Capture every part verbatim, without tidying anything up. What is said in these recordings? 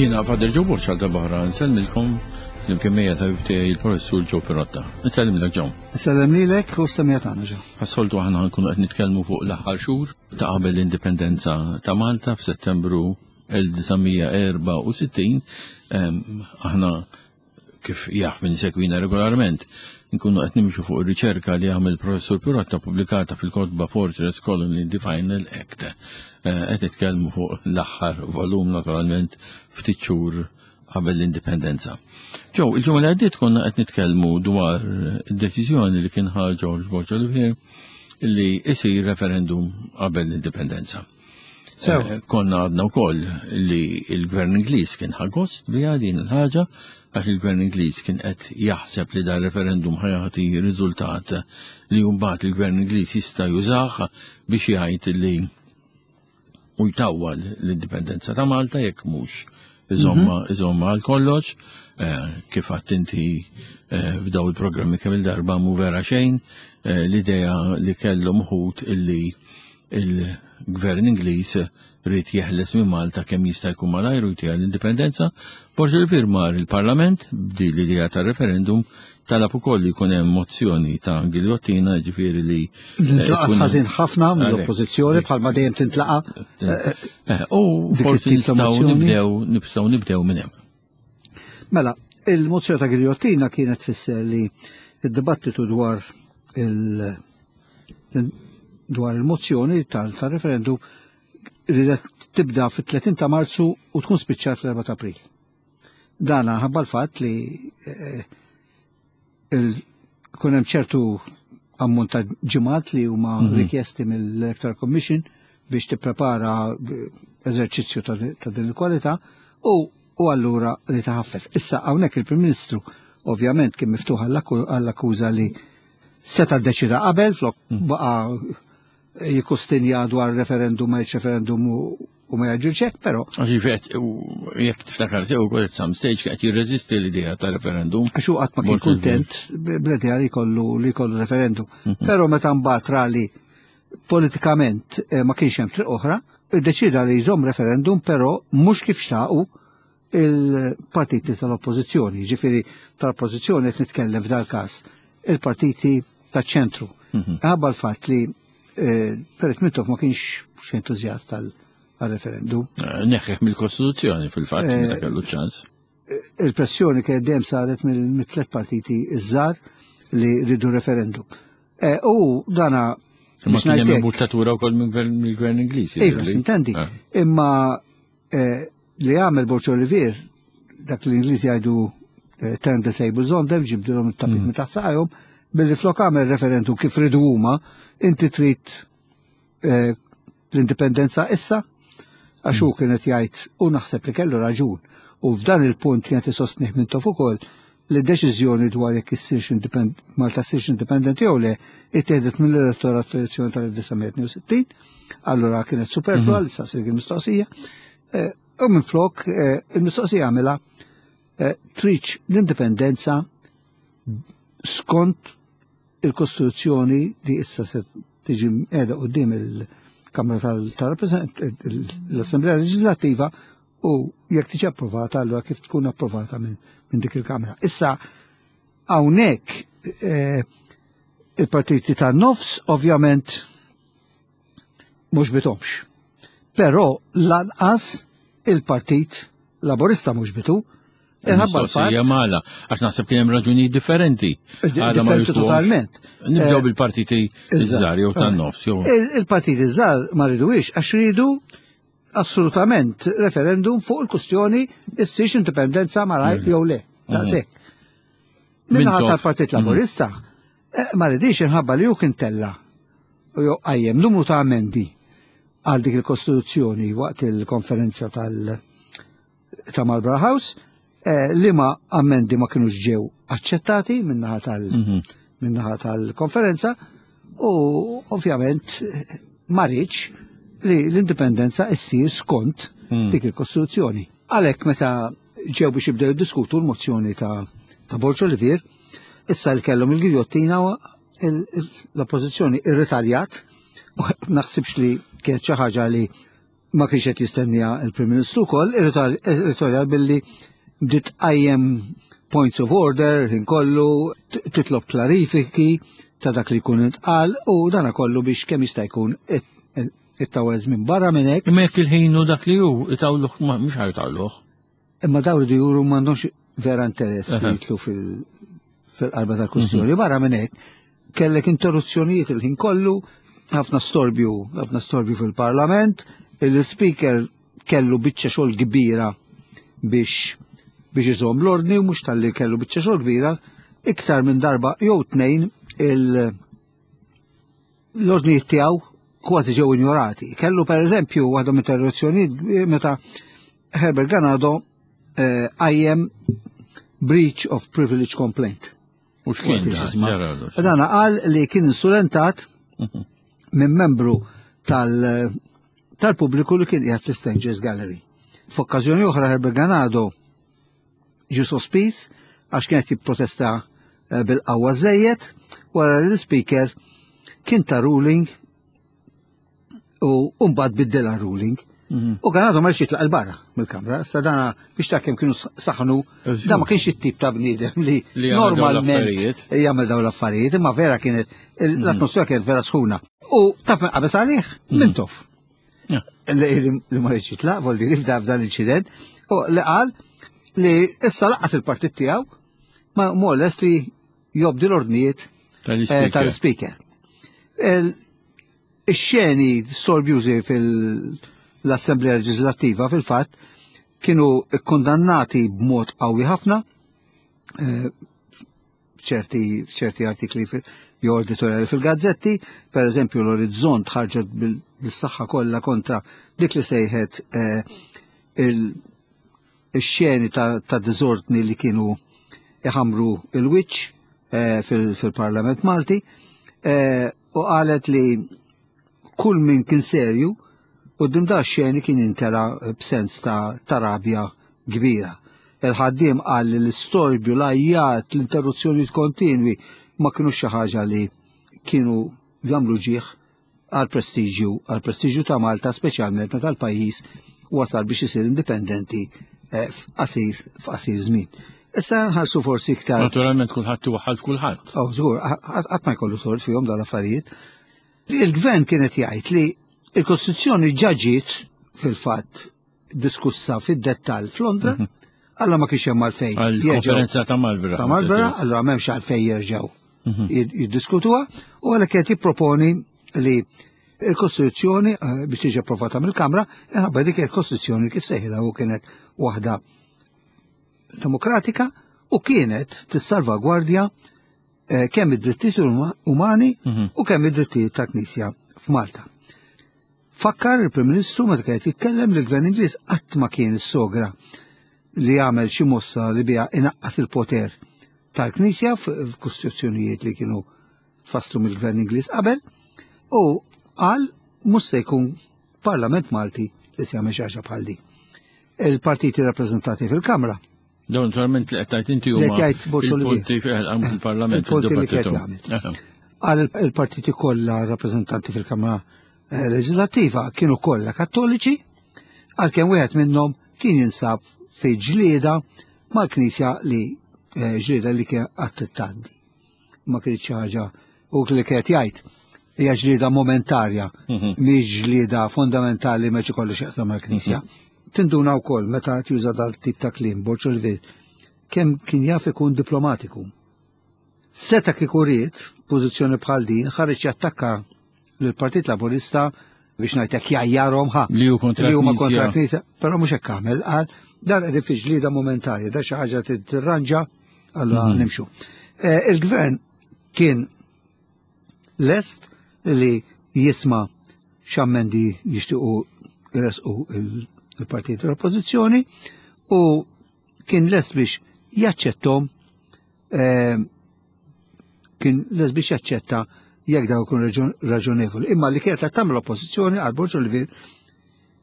Jiena Father Joe Borg għal darb'oħra nsellmilkom flimkien miegħi l-ħabib tiegħi il-Professur Joe Pirotta. Nsellimlek, Joe. Nsellem lilek u s-semmiegħa tagħna, Joe. Bħas-soltu aħna nkunu qed nitkellmu fuq l-aħħar xhur ta' qabel l-indipendenza ta' Malta f'Settembru elf disa' mija erbgħa u sittin. Aħna, kif jaf min isegwina regolarment, nkunu qed nimxu fuq ir-riċerka li għamel Professur Pirotta pubblikata fil-kotba Fortress Colony: The Final Act. Eh, qed nitkellmu fuq l-aħħar volum, naturalment, ftit xhur qabel l-indipendenza. Joe, il-ġimgħa li għaddiet konna qed nitkellmu dwar id-deċiżjoni li kien ħa George Borg Olivier li isir referendum qabel l-indipendenza. Sew. Eh, Konna għadna wkoll li il-Gvern Ingliż kien ħa gost biha din il-ħaġa, għax il-Gvern Ingliż kien qed jaħseb li dan referendum ħa jagħti riżultat li mbagħad il-Gvern Ingliż jista' jużah biex jgħid li u jtawwal l-indipendenza ta' Malta jekk mhux iżomma iżomma għal kollox, eh, kif għedt inti eh, f'daw il-programmi kemm il-darba, mu vera xejn eh, l-idea li kellhom uħud illi il-Gvern Ingliż ried jeħles minn Malta kemm jista' jkun malajr u jtiha l-indipendenza. Borg Olivier mar il-Parlament b'di l-idea ta' referendum, talab ukoll li jkun hemm mozzjoni ta' giljottina, ġifieri li Intlaqat jkun- ħażin ħafna Għalhekk. mill-oppożizzjoni, bħalma dejjem tintlaqa. Eh, U dik forsi it-tip ta' nistgħu mozzjoni. nibdew nistgħu nibdew minn hemm. Mela, il-mozzjoni ta' giljottina kienet tfisser li id-dibattitu dwar il- dwar il-mozzjoni tal-referendum ridet tibda fit-tletin ta' Marzu u tkun spiċċat fl-erbgħa ta' April. Dana ħabba l-fatt li eh, il- kun hemm ċertu ammont ta' ġimgħat li huma rikjesti mill-Electoral Commission biex tipprepara eżerċizzju ta' ta' din il-kwalità u u allura li taħaffef. Issa hawnhekk il-Prim Ministru ovvjament kien miftuħ għall-akkuża li seta' ddeċida qabel flok baqa' jikustinja dwar referendum ma referendum u u ma jaġġilx hekk, però Għax vet, jekk tiftakar sew, ukoll at some stage qed jirreżisti l-idea ta' referendum. Għax hu qatt ma kien Borg kuntent bl-idea li jkollu li jkollu referendum. Però meta mbagħad ra li politikament eh, ma kienx hemm triq oħra, iddeċida li jżomm referendum, però mhux kif xtaqu il-partiti tal-oppożizzjoni. Ġifieri tal-oppożizzjoni qed nitkellem f'dal każ il-partiti taċ-ċentru. Ħabba l-fatt li eh, Perit Mintoff ma kienx xi entużjast tal-referendum. Eh, Neħħieħ mill-Kostituzzjoni fil-fatt Eh, meta kellu ċans. Il-pressjoni kienet dejjem saret mill-tlet partiti iż-żgħar li ridu referendum. Eh, U dana Ma biex kien hemm ngħidlek- imbuttatura wkoll mill-Gvern mill-Gvern Ingliż. Iva, jidhirli. sintendi. Eh. Imma eh, li għamel Borg Olivier, dak li l-Ingliżi jgħidu eh, "turn the tables on them", ġibdilhom it-tapit minn taħt saqajhom, billi flok għamel referendum kif ridu huma, inti trid eh, l-indipendenza issa, għax hu kienet jgħid, u naħseb li kellu raġun, u f'dan il-punt kienet isostnih Mintoff ukoll, li deċiżjoni dwar jekk issirx independ Malta ssirx indipendenti jew le ittieħdet mill-elettorat fl-elezzjoni tal-elf disa' mija tnejn u sittin, allura kienet superflua li ssir il-mistoqsija. Eh, U minn flok eh, il-mistoqsija għamilha eh, tridx l-indipendenza skont il-Kostituzzjoni li issa se tiġi qiegħda quddiem il-Kamra tal-Rappresentant l-Assemblea Leġislattiva u jekk tiġi approvata, allura kif tkun approvata minn min dik il-Kamra. Issa hawnhekk eh, il-partiti tan-nofs ovvjament mhux għoġbithomx. Però lanqas il-Partit Laburista mhux għoġbitu. Inħabba Mistoqsija l-fatt mala, għax naħseb kien hemm raġunijiet differenti. Għala ma Differenti jitluhomx. totalment. Nibdew Eh, bil-partiti iż-żgħar jew tan-nofs jew. Il- Il-partiti żgħar ma riduhiex għax ridu assolutament referendum fuq il-kustjoni issirx indipendenza malajr jew le. Daqshekk. Min-naħa Mintoff. tal-Partit Laburista eh, ma ridix inħabba li hu kien tella u jew qajjem numru ta' amendi għal dik il-Kostituzzjoni waqt il-konferenza tal- ta' Marlborough House, eh, li ma amendi ma kienux ġew aċċettati minnaħa tal- minnaħa tal-konferenza u ovvjament eh, ma riedx li l-indipendenza issir skont dik il-Kostituzzjoni. Għalhekk meta ġew biex jibdew jiddiskutu l-mozzjoni ta' ta' Borg Olivier, issa li kellhom il-giljottina, il- il- l-oppożizzjoni irritaljat, u naħsibx li kienet xi ħaġa li Ma kienx qed jistennija il-Prim Ministru wkoll, irritalja billi bdiet tqajjem points of order, ħin kollu, titlob klarifiki ta' dak li jkun intqal u dana kollu biex kemm jista' jkun it-tawel minn barra minn hekk. Imma jekk il-ħin hu dak li hu, itawluh mhux ħa jtawluh. Imma dawn iridu juru m'għandhomx vera interess li jidħlu fil-qalba tal-kwistjoni. Barra minn hekk, kellek interruzzjonijiet il-ħin kollu, ħafna storbju, ħafna storbju fil-Parlament, il-speaker kellu biċċa xogħol kbira biex biex iżomm l-ordni u mhux talli kellu biċċa xogħol kbira, iktar minn darba jew tnejn l-ordnijiet tiegħu kważi ġew injorati. Kellu per eżempju waħda interruzzjonijiet meta Herbert Ganado qajjem breach of privilege complaint. U x'kien dan? Qal li kien insulentat minn membru tal-pubbliku li kien qiegħed fl-Strangers Gallery. F'okkażjoni oħra Herbert Ganado ġie sospiż għax kienet jipprotesta bil-qawwa żejjed wara li l-speaker kien ta ruling u mbagħad biddilha ruling. U Ganado ma jitlaq il-barra mill-kamra, sa dana biex ta' kemm kienu saħnu, da ma kienx it-tip ta' bniedem li normalment jagħmel dawn l-affarijiet, imma vera kienet l-atmosfera kienet vera sħuna. U taf min qabeż għalih? Mintoff. Li ma rridx jitlaq, vol dir f'dan l-inċident, u li qal li issa lanqas il-partit tiegħu ma mhu lest li jobdi l-ordnijiet tal-speaker. Ix-xeni storbjużi fil-Assemblea Leġislattiva fil-fatt kienu kondannati b'mod qawwi ħafna f'ċerti artikli jew editoriali fil-gazzetti, per eżempju l-Orizzont ħarġet bil-saħħa kollha kontra dik li sejħet il-xeni ta' diżordni li kienu iħamru il-wiċċ fil-Parlament Malti u qalet li kull min kien serju u da xeni kien intela b'sens ta' rabja kbira. Il-ħaddiem qal li l-istorbju, l-għajjat, l-interruzzjoni kontinwi ma kienu xi ħaġa li kienu jagħmlu ġieħ għal prestiġju, għal prestiġju ta' Malta, speċjalment meta l-pajjiż wasal biex isir indipendenti f'qasir f'qasir żmien. Issa nħarsu forsi iktar. Naturalment kulħadd iwaħħal f'kulħadd. Oh, żgur, qatt ma jkollu tort fihom dal-affarijiet. Il-gvern kienet jgħid li il-Kostituzzjoni ġa ġiet fil-fatt diskussa fid-dettall f'Londra, alla ma kienx hemm għalfejn. Għall-konferenza ta' Marlborough. Ta' Marlborough, allura m'hemmx għalfejn jerġgħu jiddiskutuha, u għalhekk qed jipproponi li il-Kostituzzjoni biex tiġi approvata mill-Kamra, minħabba dik il-Kostituzzjoni kif sejħilha u kienet waħda demokratika u kienet tissalvagwardja kemm id-drittijiet umani u kemm id-drittijiet tal-Knisja f'Malta. Fakkar il-Prim Ministru meta kien jitkellem li l-Gvern Ingliż qatt ma kien is-sogra li jagħmel xi mossa li biha inaqqas il-poter tal-Knisja f'kostituzzjonijiet li kienu tfasslu mill-Gvern Ingliż qabel, u qal mhux se jkun Parlament Malti li se jagħmel xi ħaġa bħal din. Il-partiti rappreżentati fil-Kamra. Dawn naturalment li qed tgħid inti huma il-punti fil-Parlament. Il-punti li qed jagħmel. Qal il-partiti kollha rappreżentanti fil-Kamra Leġislattiva kienu kollha Kattoliċi, għalkemm wieħed minnhom kien jinsab fi ġlieda mal-Knisja li ġlieda li kien qatt tgħaddi. Ma kienx xi ħaġa u li kienet jgħid hija ġlieda momentarja, mhix ġlieda fondamentali ma kollu x'jaqsam mal-Knisja. Tinduna wkoll meta juża dal-tip ta' kliem Borg Olivier kemm kien jaf ikun diplomatiku. Seta' kieku ried pożizzjoni bħal din ħareġ jattakka lill-Partit Laburista biex ngħidlek jgħajjarhom ħa. Li hu kontra l-Knisja, però mhux hekk għamel, qal dan qegħdin fi ġlieda momentarja, da xi ħaġa tirranġa, allura nimxu. Il-gvern kien lest li jisma' x'ammendi jixtiequ jresqu il-partit tal-Oppożizzjoni u kien lest biex jaċċettom, kien lest biex jaċċetta jekk daw ikun raġonevoli. Imma li kienet qed tagħmel l-Oppożizzjoni għal Borg Olivier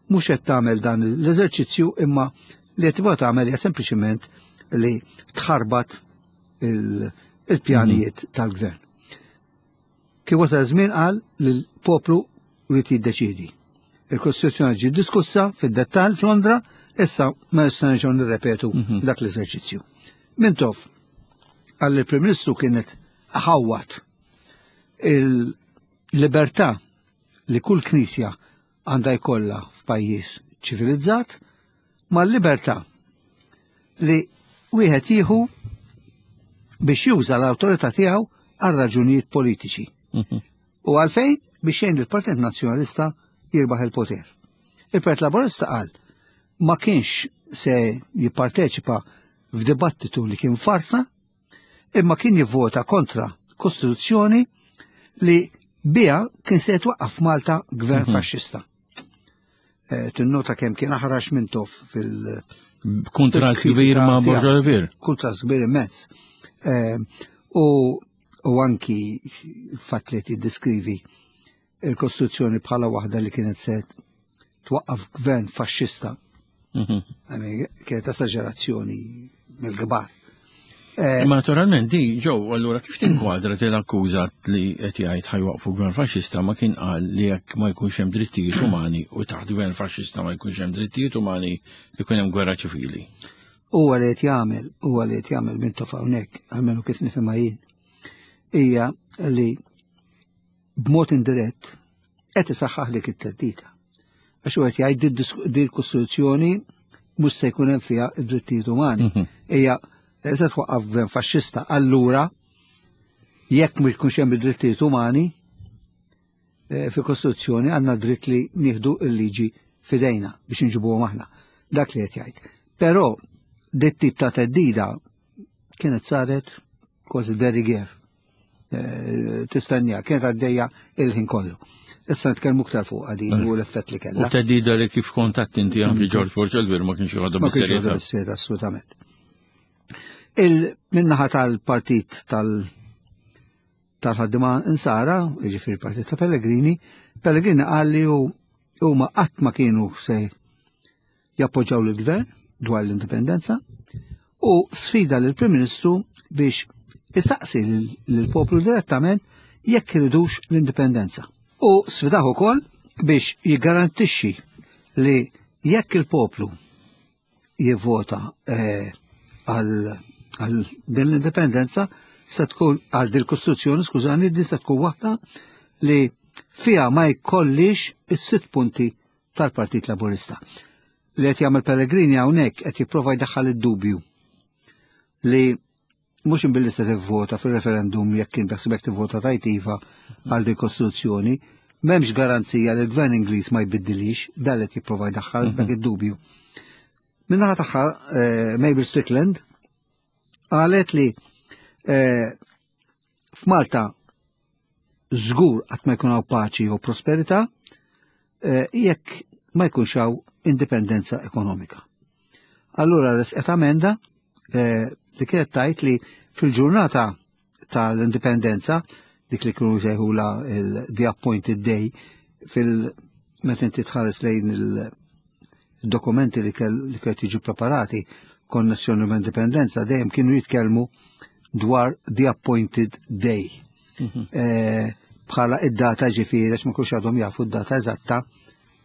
mhux qed tagħmel dan l-eżerċizzju, imma li qed tibgħu tagħmel hija sempliċiment li tħarbat il-pjanijiet tal-gvern. Kif wasal żmien qal li l-poplu jrid jiddeċiedi. Il-Kostituzzjoni ġiet diskussa fid-dettall f'Londra, issa ma nista' nerġgħu nirrepetu mhm. dak l-eżerċizzju. Mintoff qal il-Prim Ministru kienet ħawwat il-libertà li kull knisja għandha jkollha f'pajjiż ċivilizzat mal-libertà li wieħed jieħu biex juża l-awtorità tiegħu għal raġunijiet politiċi. Mhm. U għalfejn biex jgħin il-Partit Nazzjonalista jirbaħ il-poter. Il-Partit Laburista qal ma kienx se jipparteċipa f'dibattitu li kien farsa, imma kien jivvota kontra kostituzzjoni li biha kien se jitwaqqaf Malta gvern mhm. faxxista. Eh, tinnota kemm kien aħrax Mintoff fil- Kontrast kbir ma' Borg Olivier. Kontrast kbir immens. Eh, u u anki fatt li tiddeskrivi il-Kostituzzjoni bħala waħda li kienet se twaqqaf gvern faxxista. Mhm. Kienet esaġerazzjoni mill-kbar. Eh, Ma naturalment di ġew allura kif tinkwadra l-akkuża li qed jgħid ħa jwaqqfu gvern faxxista ma kien qal li jekk ma jkunx hemm drittijiet umani u taħt gvern faxxista ma jkunx hemm drittijiet umani jkun hemm gwerra ċivili. Huwa li qed jagħmel, huwa li qed jagħmel Mintoff hawnhekk, almenu kif nifhimha jien, hija li b'mod indirett qed isaħħaħ dik it-teddida. Għax u qed jgħid di l-Kostituzzjoni mhux se jkun hemm fiha id-drittijiet umani. Mhm. Hija se twaqqaf gvern faxxista. Allura jekk ma jkunx hemm id-drittijiet umani eh, fi Kostituzzjoni għandna dritt li nieħdu l-liġi fidejna biex nġibuhom aħna. Dak li qed jgħid. Però dit tip ta' teddida kienet saret kważi de rigueur. Eh, Tistennija, kienet għaddejja il-ħin kollu. Issa nitkellmu iktar fuq din u l-effett li U kellha. teddida li kif kontatt inti anki George Borg Olivier ma kienx joħodha Ma kienx bis-serjetà. joħodha bis-serjetà, assolutament. Il-minnaħa tal-partit tal- tal-ħaddima insara, jiġifieri il-partit ta' Pellegrini, Pellegrini qal li hu huma qatt ma kienu se jappoġġaw l-gvern dwar l-indipendenza u sfida lill-Prim Ministru biex isaqsi lill-poplu direttament jekk iridux l-indipendenza. U sfidah ukoll biex jiggarantixxi li jekk il-poplu jivvota eh, għal għal din l-indipendenza se tkun għal din il-Kostituzzjoni, skużani, din se tkun waħda li fiha ma jkollix is-sitt punti tal-Partit Laburista. Li qed jagħmel Pellegrini hawnhekk qed jipprova jdaħħal id-dubju li mhux imbilli se tivvota fil-referendum jekk kien beħsibek tivvota tajt iva għal din kostituzzjoni, m'hemmx garanzija li l-gvern Ingliż ma jbiddilix, dan qed jipprova jdaħħal dak id-dubju. Min-naħa tagħha eh, Mabel Strickland qalet li eh, f'Malta żgur qatt ma jkun hawn paċi u prosperità eh, jekk ma jkunx hawn indipendenza ekonomika. Allura resqet amenda eh, li kienet tajt li fil-ġurnata tal-indipendenza, dik li kienu sejħula il-The Appointed Day, fil- meta inti tħares lejn il-dokumenti li kell li kienet jiġu preparati konnessjoni ma' indipendenza dejjem kienu jitkellmu dwar The Appointed Day. Eh, Bħala id-data ġifieri, għax ma kienux għadhom jafu id-data eżatta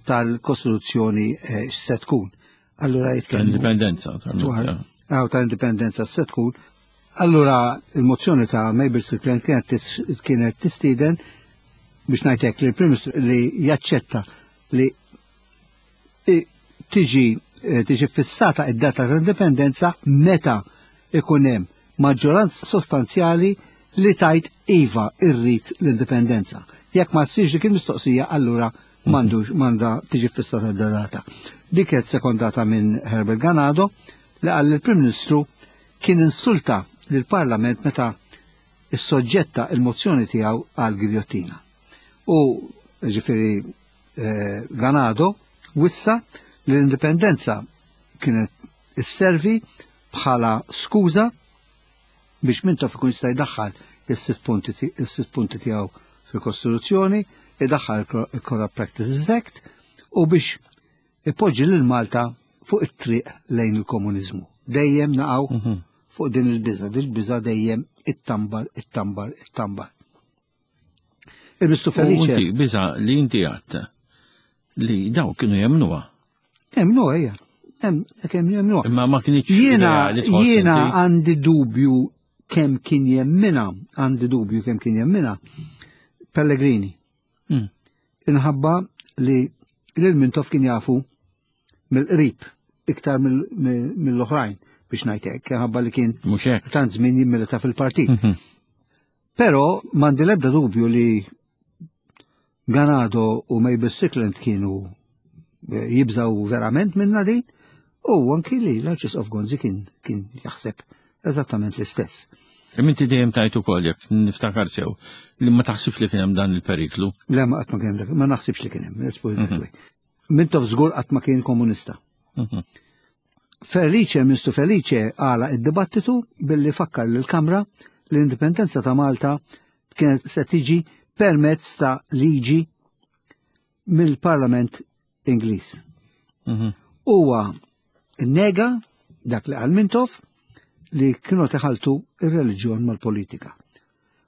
tal-Kostituzzjoni eh, x'se tkun. Allura jitkellmu Indipendenza. dwar għaw tal-indipendenza se tkun. Allura il-mozzjoni ta' Mabel Strickland kienet tis- kienet tistieden biex ngħidlek li l-Prim Ministru li jaċċetta li i- tiġi eh, tiġi fissata id-data ta' indipendenza meta ikun hemm maġġoranza sostanzjali li tajt iva irrid l-indipendenza. Jekk ma tsirx dik il-mistoqsija, allura m'għandux m'għandha tiġi fissata d-data. Dik kienet sekondata minn Herbert Ganado li qal il-Prim Ministru kien insulta lill-Parlament meta is-soġġetta il-mozzjoni tiegħu għal giljottina. U ġifieri eh, Ganado wissa li l-indipendenza kienet isservi bħala skuża biex Mintoff ikun jista' jdaħħal is-sitt punti ti- is-sitt punti tiegħu fil-Kostituzzjoni, idaħħal il-Corrupt Practices Act u biex ipoġġi lil Malta fuq it-triq lejn il-komuniżmu. Dejjem naqgħu fuq din il-biża, din il-biża dejjem it-tambar, it-tambar, it-tambar. Il-Mistu U Felice, inti, biża li inti għadt li daw kienu jemnuha. Jemnuha, hija. Kemm jemnuha. Imma ma kienx Jiena jiena għandi dubju kemm kien jemmina, għandi dubju kemm kien jemmina Pellegrini. Mm. Inħabba li lil Mintoff kien jafu mill-qrib iktar mill-oħrajn biex ngħid hekk, ħabba li kien Mhux hekk. tant żmien jimmilita fil-partit. Mhm. Però m'għandi l-ebda dubju li Ganado u Mabel Strickland kienu eh, jibżaw verament minna din u anki li l-Arċisqof Gonzi kien kien jaħseb eżattament l-istess. Imma inti dejjem tajt ukoll jekk niftakar sew li ma taħsibx li kien hemm dan il-periklu. Le ma qatt ma kien hemm, ma naħsibx li kien hemm, let's put it that way. Mintoff żgur qatt ma kien komunista. Mhm. Felice, Ministru Felice għala id-dibattitu billi fakkar lill-Kamra l-indipendenza ta' Malta kienet se tiġi permezz ta' liġi mill-Parlament Ingliż. Mhm. Huwa nega dak li qal Mintoff li kienu teħaltu ir-reliġjon mal-politika.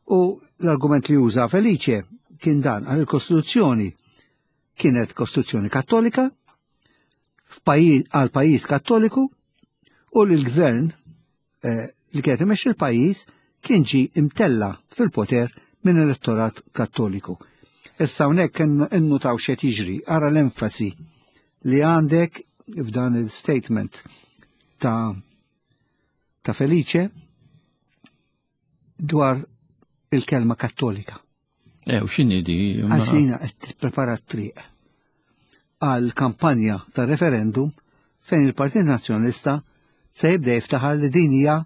U l-argument li uża Felice kien dan għal il-Kostituzzjoni kienet Kostituzzjoni Kattolika f'pajjiż għal pajjiż Kattoliku u li l-gvern eh, li kienet imexxi l-pajjiż kien ġi imtella fil-poter minn elettorat Kattoliku. Issa hawnhekk innutaw x'qed jiġri, ara l-enfasi li għandek f'dan il-statement ta' ta' Felice dwar il-kelma Kattolika. Eh, u x'inhi di? Ma- Għax jiena qed tipprepara t-triq għal kampanja ta' referendum fejn il-Partit Nazzjonalista se jibda jiftaħar li din hija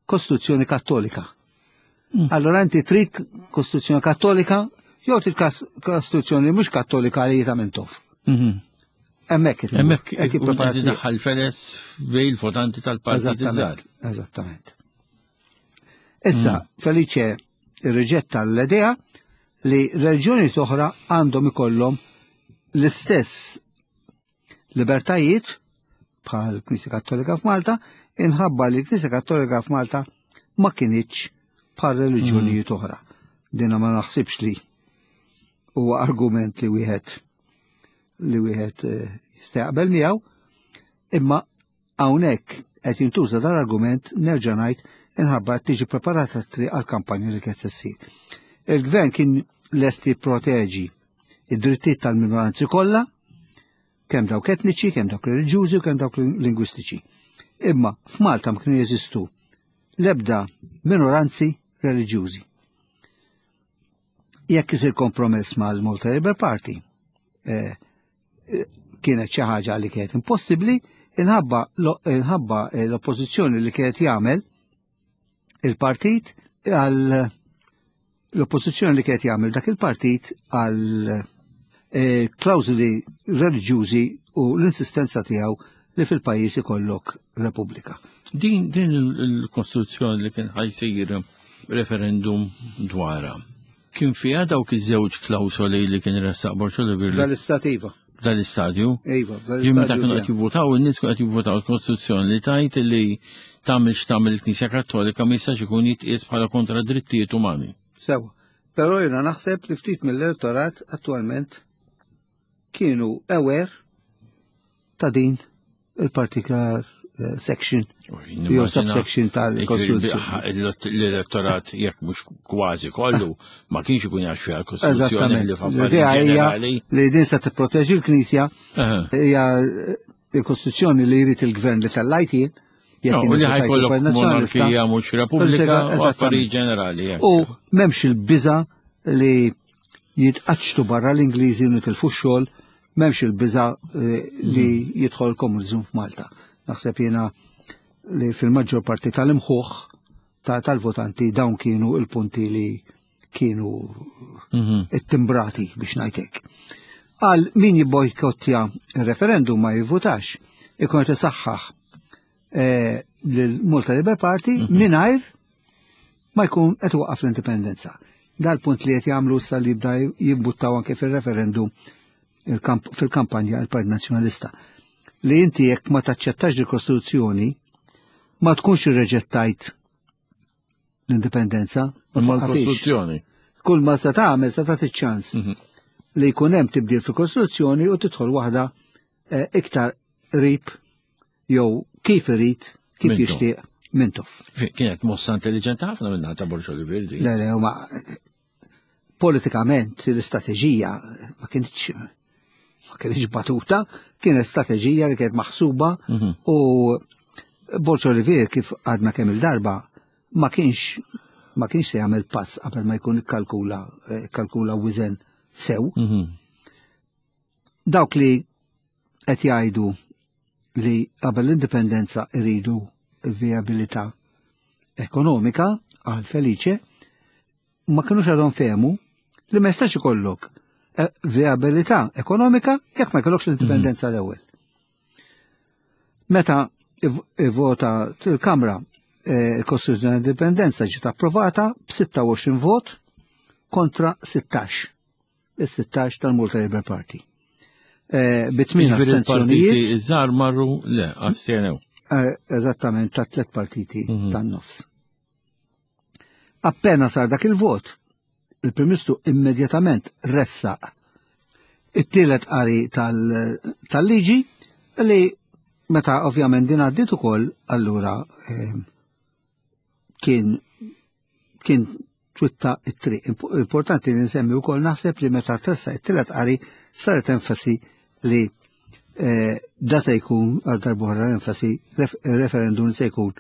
Kostituzzjoni Kattolika. Mm. Allora inti trid Kostituzzjoni Kattolika jew trid kas- Kostituzzjoni mhux Kattolika li ta' Mintoff. Mhm. Hemmhekk qed Hemmhekk qed jipprepara qed t-triq. idaħħal feles bejn il-votanti tal-partit iż-żgħar. Eżattament. Eżattament. Issa, Felice irriġetta l-idea li reliġjoni oħra għandhom ikollhom l-istess libertajiet bħal Knisja Kattolika f'Malta, inħabba li l-Knisja Kattolika f'Malta ma kinitx bħal reliġjonijiet oħra. Dina ma naħsibx li huwa argument li wieħed li wieħed eh, jista' jaqbel miegħu, imma hawnhekk qed jintuża dan argument nerġa' ngħid inħabba qed tiġi preparata t-triq għall-kampanja li qed ssir. Il-gvern kien lest jipproteġi id-drittijiet tal-minoranzi kollha, kemm dawk etniċi, kemm dawk reliġjużi u kemm dawk lingwistiċi. Imma f'Malta ma kienu jeżistu l-ebda minoranzi reliġjużi. Jekk isir kompromess mal-Malta Labour Party, eh, eh, kienet xi ħaġa li kienet impossibbli, inħabba lo- inħabba eh, l-oppożizzjoni li kienet jagħmel il-partit għal l-oppożizzjoni li kienet jagħmel dak il-partit għal eh, klawżoli reliġjużi u l-insistenza tiegħu li fil-pajjiż ikollok Repubblika. Din din il-kostruzzjoni li kien ħa jsir referendum dwarha. Kien fiha dawk iż-żewġ klawsoli li kien ressaq Borg Olivier Dal-istat iva. dal-istadju. Iva, Jien meta kienu qed jivvutaw, in-nies kienu qed jivvutaw l-Kostituzzjoni li tajt li tagħmel x'tagħmel il-Knisja Kattolika ma jistax ikun jitqies bħala kontra drittijiet umani. Sewa. Però jiena naħseb li ftit mill-elettorat attualment kienu aware ta' din il-particular eh, section jew subsection tal-Kostituzzjoni. L-elettorat jekk mhux kważi kollu ma kienx ikun jaf fiha l-Kostituzzjoni Eżattament. li f'affarijiet L-idea hija ġenerali. li din se tipproteġi l-Knisja Aha. hija il-Kostituzzjoni li jrid il-gvern li tellajt jien. jekk No, jien U li votajt ħa jkollok il-Partit Nazzjonalista. monarkija mhux repubblika u Eżattament. affarijiet ġenerali. hekk. U m'hemmx il-biża li jitqaċċtu barra l-Ingliżi u nitilfu x-xogħol, m'hemmx il-biża eh, li jidħol komuniżmu f'Malta. Naħseb jiena li fil-maġġor parti tal-imħuħ ta' tal-votanti dawn kienu il-punti li kienu Mhm. it-timbrati biex ngħidlek. Għal min jibbojkottja il-referendum ma jivvutax, ikun qed isaħħaħ eh, lil-Malta Labour Party mingħajr ma jkun qed waqqaf l-indipendenza. Dal-punt li qed jagħmlu issa li jibda jimbuttaw anke fil-referendum il-kamp- fil-kampanja il-Partit Nazzjonalista. Li inti jekk ma taċċettax il-Kostituzzjoni ma tkunx irreġettajt l-indipendenza. ma Imma twaqqafix. l-Kostituzzjoni. Kull ma se tagħmel se tagħti ċans Mhm. li jkun hemm tibdil fil-Kostituzzjoni u tidħol waħda eh, iktar qrib jew kif irid, kif Mintoff. jixtieq Mintoff. Kienet mossa intelligenti ħafna minna ta' Borg Olivier di. Le, le, ma politikament l-istrateġija ma kienx ma kienx batuta, kienet strateġija li kienet maħsuba Mhm. u Borg Olivier, kif għadna kemm il-darba, ma kienx ma kienx se jagħmel pass qabel ma jkun ikkalkula eh, kalkula wizen sew. Mhm. Dawk li qed jgħidu li qabel l-indipendenza iridu il-viabilità ekonomika għal Felice ma kienux għadhom fehmu li ma jistax ikollok eh, viabilità ekonomika jekk ma jkollokx l-indipendenza l-ewwel. Meta ivvota il-Kamra, eh, il-Kostituzzjoni Indipendenza ġiet approvata b'sitta u għoxrin vot kontra sittax. Il-sittax tal-Malta Labour Party. Eh, Bi tmien Jiġifieri astenzjonijiet. il-partiti iż-żgħar marru le, astjenew. Eh, Eżattament, ta' tliet partiti Mhm. tan-nofs. Appena sar dak il-vot, il-Prim Ministru immedjatament ressaq it-tielet qari tal- tal-liġi li meta ovvjament din għaddiet ukoll, allura eh, kien kien twitta it-triq. Imp- Importanti li nsemmi wkoll, naħseb, li meta tressaq it-tielet qari saret enfasi li eh, da se jkun għal darb'oħra enfasi ref- referendum se jkun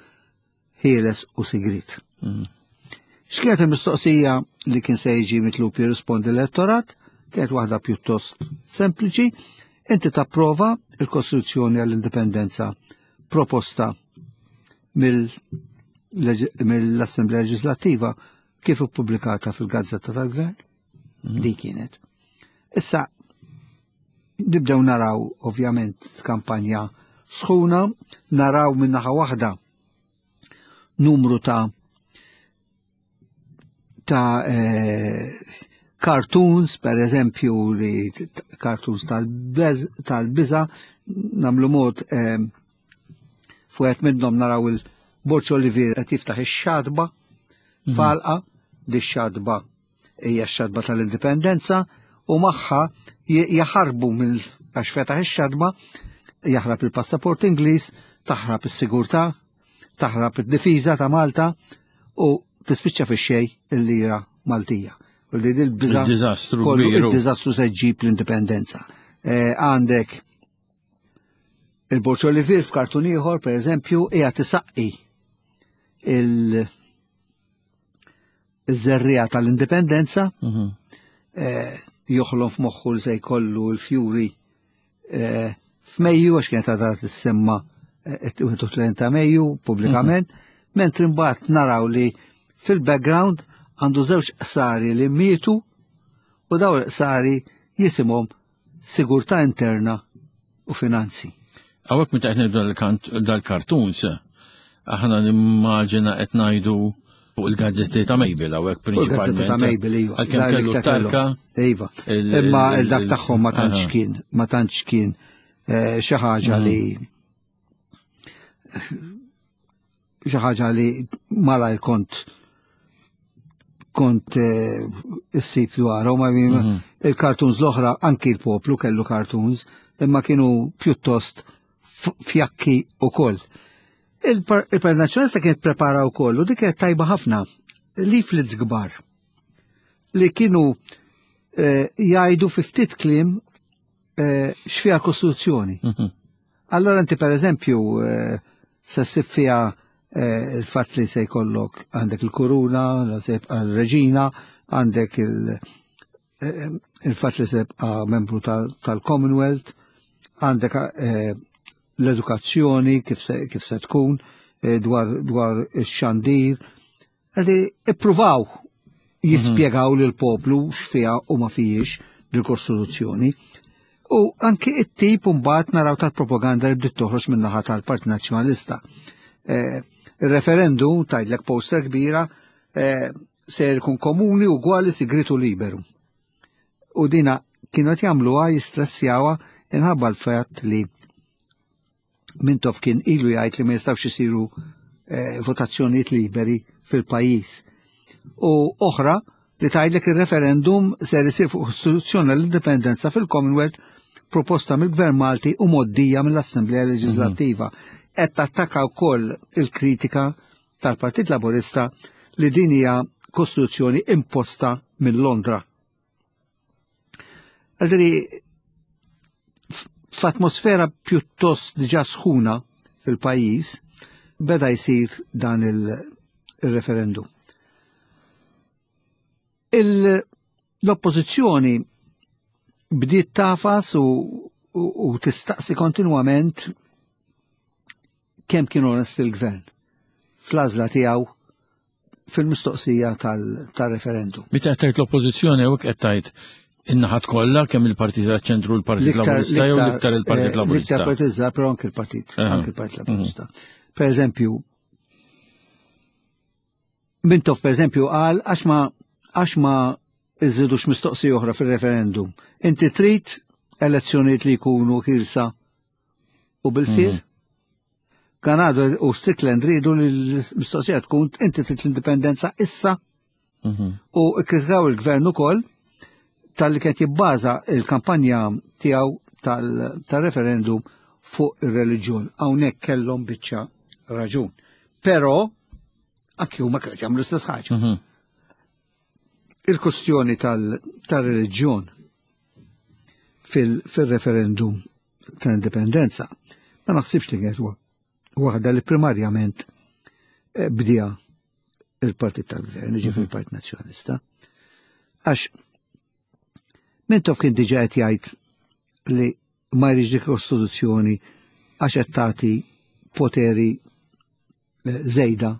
ħieles u sigrit. Mhm. X'kienet il-mistoqsija li kien se jiġi mitlub jirrispondi l-elettorat? Kienet waħda pjuttost sempliċi. Inti tapprova il-Kostituzzjoni għall-Indipendenza proposta mill-Assemblea Leġislattiva kif ippubblikata fil-Gazzetta tal-Gvern? Din kienet. Issa, nibdew naraw ovvjament kampanja sħuna, naraw minnaħa waħda numru ta' ta' eh, cartoons, per eżempju, li t- cartoons tal-biża, namlu mod eh, fuqet minnhom naraw il-Borg Olivier qed jiftaħ ix-xatba falqa, di xatba hija x-xatba tal-indipendenza, u magħha j- jaħarbu mill għax fetaħ ix-xatba, jaħrab il-passaport Ingliż, taħrab is-sigurtà, taħrab id-difiża ta' Malta u tispiċċa fix-xejn il-lira Maltija. U li dil-biża Il-diżastru kollu kbir. Il-diżastru se ġġib l-indipendenza. Eh, Għandek il-Borg Olivier f'kartun ieħor, per eżempju, hija tisaqqi il- iż-żerriegħa tal-indipendenza, Mhm. eh, joħlom f'moħħu li se jkollu l-fjuri eh, f'Mejju, għax kienet għadha tissemma eh, wieħed u tletin ta' Mejju pubblikament, mentri mbagħad naraw li fil-background għandu żewġ qsari li mietu u daw l-qsari jisimhom sigurtà interna u finanzi. Hawnhekk meta qed ngħidu dal-cartoons, aħna nimmaġina qed ngħidu fuq il-gazzetti ta' Mabel hawnhekk Fuq il-gazzetti prinċipalment. ta' Mabel, iva. Għalkemm Dak kellu li kellu. tarka. Iva. il- Imma il- il-dak tagħhom ma tantx Aha. kien, ma tantx kien eh, xi ħaġa li xi ħaġa li malajr kont kont eh, issib dwarhom, ma mm il-cartoons l-oħra, anki l-poplu kellu cartoons, imma kienu pjuttost f- fjakki u koll. Il-Partit Nazzjonalista kien prepara wkoll u dik kienet tajba ħafna, leaflets kbar li kienu eh, jgħidu fi ftit kliem eh, x'fiha l-Kostituzzjoni. Mhm. Allora inti, per eżempju, eh, se ssib fiha eh, il-fatt li se jkollok għandek il-kuruna, la se jibqa' l-reġina, għandek il- eh, il-fatt li se jibqa' membru tal- tal-Commonwealth, għandek eh, l-edukazzjoni kif se, kif se tkun, eh, dwar, dwar ix-xandir. Għadi ippruvaw jispjegaw lil poplu x'fiha u ma fihiex l-Kostituzzjoni. U anki it-tip mbagħad naraw tal-propaganda li bdiet toħroġ min-naħa tal-Partit Nazzjonalista. Eh, Il-referendum, tgħidlek poster kbira, eh, se jkun komuni, ugwali, sigritu, liberu. U dina kienu qed jagħmluha, jistressjawha inħabba l-fatt li Mintoff kien ilu jgħid li ma jistgħux isiru eh, votazzjonijiet liberi fil-pajjiż. U oħra li tgħidlek il-referendum ser isir fuq Kostituzzjoni l-Indipendenza fil-Commonwealth proposta mill-Gvern Malti u mgħoddija mill-Assemblea Leġislattiva. Qed tattakka wkoll il-kritika tal-Partit Laburista li din hija kostituzzjoni imposta minn Londra. Għaldri, f'atmosfera pjuttost diġà sħuna fil-pajjiż, beda jsir dan il-referendum. L-oppożizzjoni bdiet tagħfas u, u, u tistaqsi kontinwament kemm kien onest il-gvern fl-għażla tiegħu fil-mistoqsija tal-referendum. Meta qed tgħid l-oppożizzjoni hawnhekk qed tgħid in-naħat kollha, kemm il-Partit tal-Ċentru, l-Partit Laburista, jew l-iktar il-Partit eh, Laburista? L-iktar Partit, però anke il-Partit, anke il-Partit Laburista. Per eżempju, Mintoff, per eżempju, qal għax ma għax ma iżidux mistoqsija oħra fil-referendum. Inti trid elezzjonijiet li jkunu ħielsa u bil-fir? Mhm. Ganado u Strickland ridu li l-mistoqsija tkun: inti trid l-indipendenza issa? Mhm. U kkritikaw il-gvern ukoll talli kien jibbaża il-kampanja tiegħu tal-referendum fuq ir-reliġjon. Hawnhekk kellhom biċċa raġun. Però anki huma kienu jagħmlu l-istess ħaġa. Mhm. Il-kustjoni tal-reliġjon fil-referendum tal-indipendenza ma naħsibx li kienet waħda li primarjament eh, bdiha il-partit tal-gvern, ġifieri Mhm. il-Partit Nazzjonalista. Għax Mintoff kien diġà qed jgħid li ma jridx dik kostituzzjoni għax qed tagħti poteri eh, żejda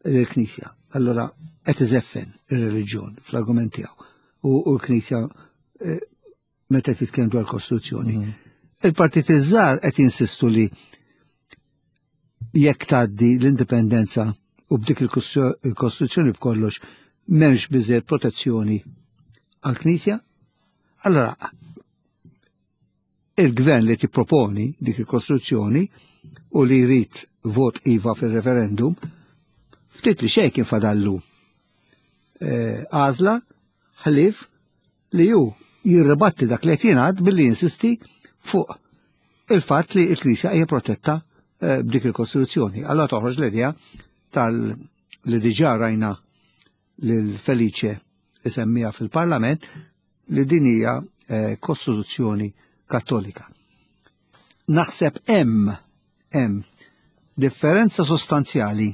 lill-Knisja. Allora qed iżeffen ir-reliġjon fl-argument tiegħu. U l-Knisja eh, meta titkellem dwar kostituzzjoni. Mhm. Il-partit iż-żgħar qed jinsistu li jekk tgħaddi l-indipendenza u b'dik il-kostituzzjoni b'kollox m'hemmx biżejjed protezzjoni għall-Knisja. Allora, il-gvern li tipproponi dik il-kostruzzjoni u li jrid vot iva fil-referendum, ftit li xejn kien fadallu eh, għażla ħlief li ju jirribatti dak li qed jingħad billi jinsisti fuq il-fatt li l-Knisja hija protetta eh, b'dik il-Kostituzzjoni. Allora toħroġ l-idea tal li diġà rajna lil Felice isemmija fil-Parlament li din hija eh, Kostituzzjoni Kattolika. Naħseb hemm hemm differenza sostanzjali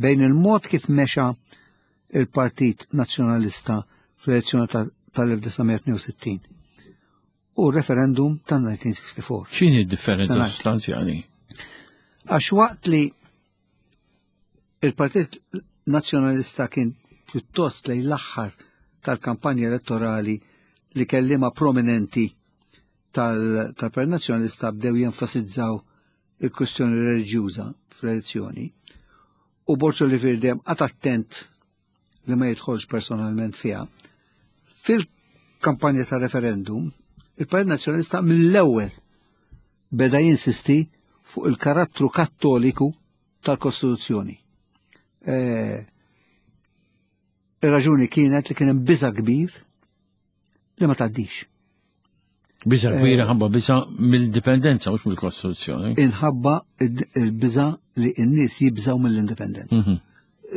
bejn il-mod kif mexa il-Partit Nazzjonalista fl-elezzjoni tal-elf disa' mija tnejn u sittin u referendum tal-elf disa' mija sittuaħda. X'inhi d-differenza Sanajt. sostanzjali? Għax waqt li il-Partit Nazzjonalista kien pjuttost lejn l-aħħar tal-kampanja elettorali li kellima prominenti tal-Partit Nazzjonalista bdew jenfasizzaw il-kwestjoni reliġjuża fl-elezzjoni u Borg Olivier dejjem qagħad attent li ma jidħolx personalment fiha. Fil-kampanja ta' referendum, il-Partit Nazzjonalista mill-ewwel beda jinsisti fuq il-karattru kattoliku tal-Kostituzzjoni. Eh, Ir-raġuni kienet li kien hemm biża' kbir li ma tgħaddix. Biża' kbira ħabba biża' mill-dipendenza, mhux mill-Kostituzzjoni. Inħabba il-biża' li n-nies jibżaw mill-indipendenza. Mhm.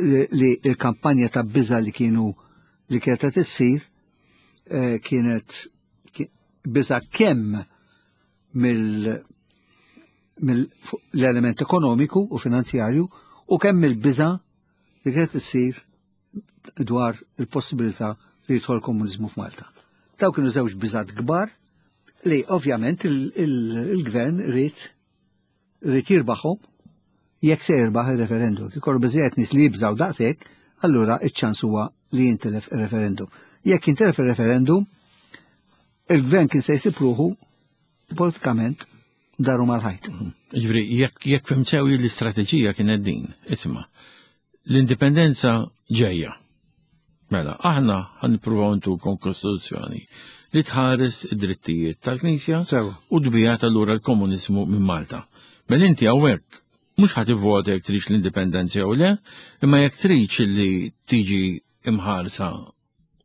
Li li il-kampanja ta' biża' li kienu li kienet qed issir eh, kienet ki- biża' kemm mill mill-element ekonomiku u finanzjarju u kemm il-biża' li kienet issir dwar il-possibilità li jidħol komuniżmu f'Malta. Daw kienu żewġ biżat kbar li ovvjament il-gvern ried ried jirbaħhom jekk se jirbaħ il-referendum. Ikollu biżejjed nies li jibżaw daqshekk, allura iċ-ċans huwa li jintilef il-referendum. Jekk jintilef il-referendum, il-gvern kien se jsib ruħu politikament daru mal-ħajt. Ġifieri, jekk jekk fhimt sew, l-istrateġija kienet din, isma', l-indipendenza ġejja. Mela, aħna ħa nippruvaw ntukom kostituzzjoni li tħares id-drittijiet tal-Knisja Sew. u tbiegħed allura l-komuniżmu minn Malta. Mela inti hawnhekk mhux ħa tivvota jekk tridx l-indipendenza jew le, imma jekk tridx li tiġi imħarsa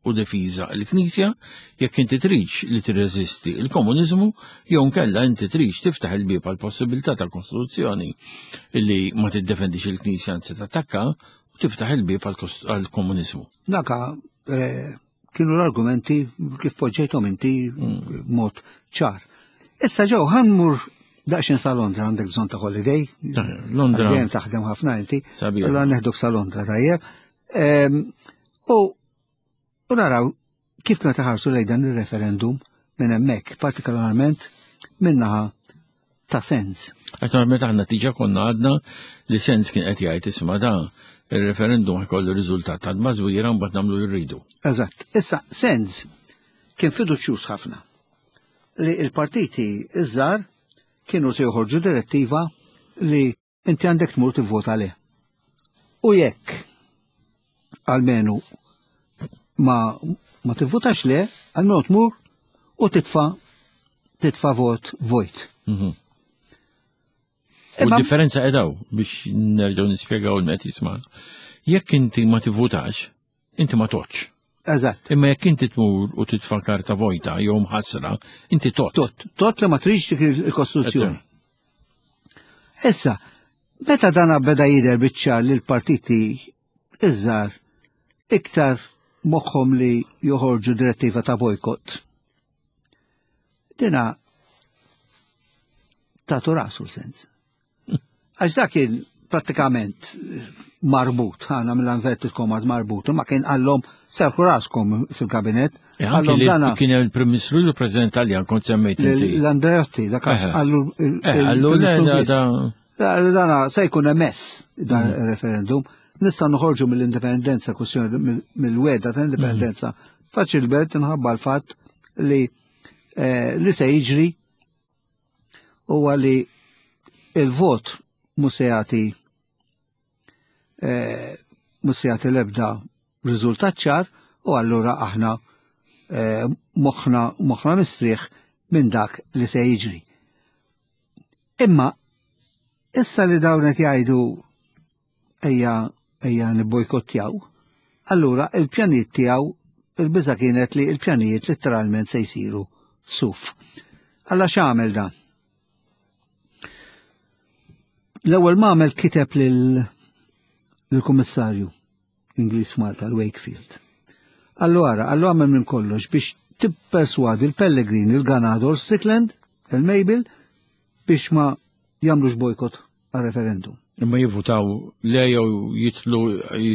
u defiża l-Knisja, jekk inti tridx li tirreżisti il-komuniżmu, jew nkella inti tridx tiftaħ il-bieb għal possibilità ta' kostituzzjoni li ma tiddefendix il-Knisja, anzi tattakka, u tiftaħ il-bieb għal komuniżmu. Daka eh, kienu l-argumenti kif poġġejthom inti mm. mod ċar. Issa ġew ħa mmur daqsxejn sa Londra, għandek bżonn ta' holiday. Londra. Dejjem taħdem ħafna inti. Allora neħduk sa Londra, tajjeb. U u naraw kif kienu taħarsu lejn dan il-referendum minn hemmhekk, partikolarment minnaħa ta' Sens. Għax meta aħna diġà konna għadna li Sens kien qed jgħid, isma', da il-referendum ħa jkollu riżultat ta' mażwira, mbagħad nagħmlu jridu. Eżatt. Issa Sens kien fiduċjuż ħafna li il-partiti iż-żgħar kienu se joħorġu direttiva li inti għandek tmur tivvota le. U jekk almenu ma, ma tivvotax le, almenu tmur u titfa titfa vot vojt. Mhm. U differenza edaw biex nerġgħu nispjegaw il-met jisma'. Jekk inti ma tivvutax, inti ma toċ. Eżatt. Imma jekk inti tmur u titfa' karta vojta jew mħassra, inti tot. Tot, tot li ma tridx dik il-Kostituzzjoni. Issa, meta dana beda jidher biċ-ċar li l-partiti iż-żgħar iktar moħħhom li joħorġu direttiva ta' bojkott. Dina ta' rasu Sens. Għax dak kien prattikament marbut, ħana mill-inverted commas marbut, ma kien għallhom serħu raskom fil-kabinet. Eh, għallhom dana. Kien il-Prim Ministru, l-President Taljan, kont semmejt inti. L-Andreotti, dak għallu. Għallu dana se jkun emess dan mm. il-referendum. Nista' noħorġu mill-indipendenza, kwestjoni mill-weda ta' indipendenza, mm. faċilment inħabba l-fatt li eh, li se jiġri huwa li il-vot mhux se jagħti eh, mhux se jagħti l-ebda riżultat ċar u allura aħna eh, moħħna moħħna mistrieħ minn dak li se jiġri. Imma issa li dawn qed jgħidu ejja ejja nibbojkottjaw, allura il-pjanijiet tiegħu, il-biża kienet li il-pjanijiet letteralment se jsiru suf. Alla x'għamel dan? L-ewwel ma għamel, kiteb lill-Kummissarju Ingliż Malta, l-Wakefield. Allora, għallu għamel minn kollox biex tipperswadi l-Pellegrini, il-Ganado, Strickland, il-Mabel biex ma jagħmlux bojkott għal referendum. Imma jivvutaw le jew jitlu